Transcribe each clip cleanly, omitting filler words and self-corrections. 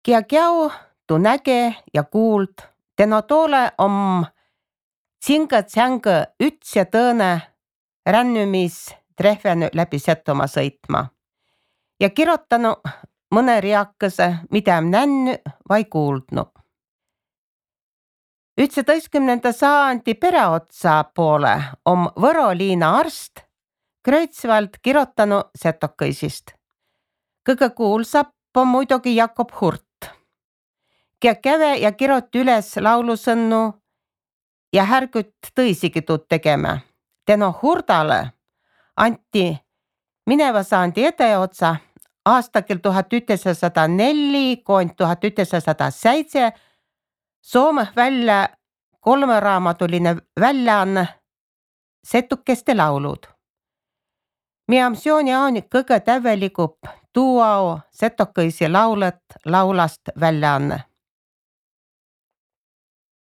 Kiakiau tu näge ja kuuld, teno toole om tsingõ-tsängõ üts ja tõõnõ rännymis trehvänü läbi Setomaa sõitma ja kirotanu mõne riakõsõ, mida om nännü vai kuuldnu. 19. sajandi peräotsa poole om Võro liina arst Kreutzwald kirotanu setokõisist. Kõgõ kuulsap om muidugi Jakob Hurt, kia käve ja kirot üles laulusõnnu ja härgüt tõisigi tuud tegemä. Teno Hurdale anti mineva saandi edeotsa aastakil 1904 kuni 1907 Soomõh välja kolmeraamatuline väljaanne Setukeste laulud. Miamsiooni on kõgõ täveligup tuuao setokõisi laulõt laulast väljaanne.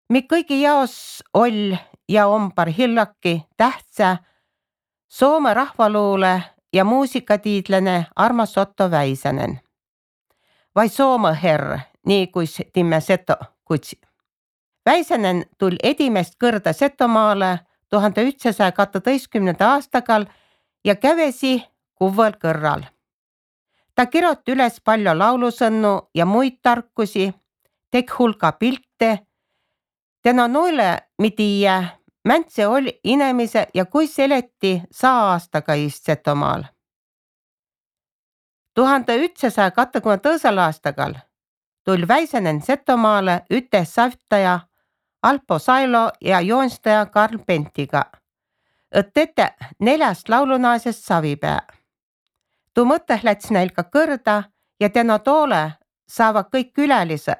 Mi kõigi jaos oll ja om parhillaki tähtsä Soome rahvaluule ja muusikatiidlane Armas Otto Väisänen. Vai Soome herr, nii kuis timme Seto kutsi. Väisänen tull edimest kõrda Setomaale 1912. aastagal ja kävesi kuvvõl kõrral. Ta kirot üles palju laulusõnnu ja muid tarkusi, tek hulka pilte. Teno noile mi tiiä, mäntse oli inemise ja kuis eleti 100 aastaga iist Setomaal. 1922. aastagal tull Väisänen Setomaale üte savtaja Alpo Sailo ja joonstaja Karl Pentiga, et tete 4 laulunaasest savipää. Tuu mõtteh läts näil ka kõrda ja teno toole saava kõik külälise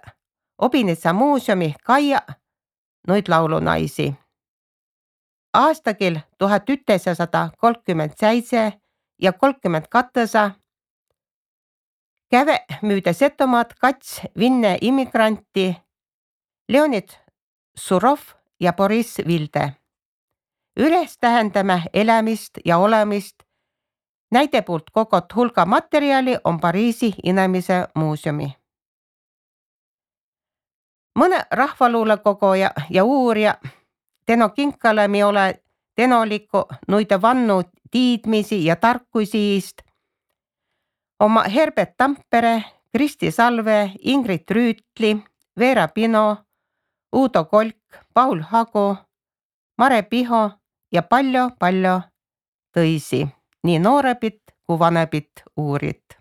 Obinitsa muuseumi kaia noid laulunaisi. Aastakil 1937 ja 1932 käve müüde Setomaad 2 Vinne immigranti Leonid Surov ja Boris Vilde. Üles tähendäme elämist ja olemist. Näide poolt kogot hulga materjali on Pariisi inemise muuseumi. Mõne rahvaluule kogoja ja uurija teno kinkale mi ole tenoliku nuide vannu tiidmisi ja tarkuisi iist. Oma Herbert Tampere, Kristi Salve, Ingrid Rüütli, Veera Pino, Uudo Kolk, Paul Hagu, Mare Piho ja palju tõisi, nii noorebit kui vanebit uurit.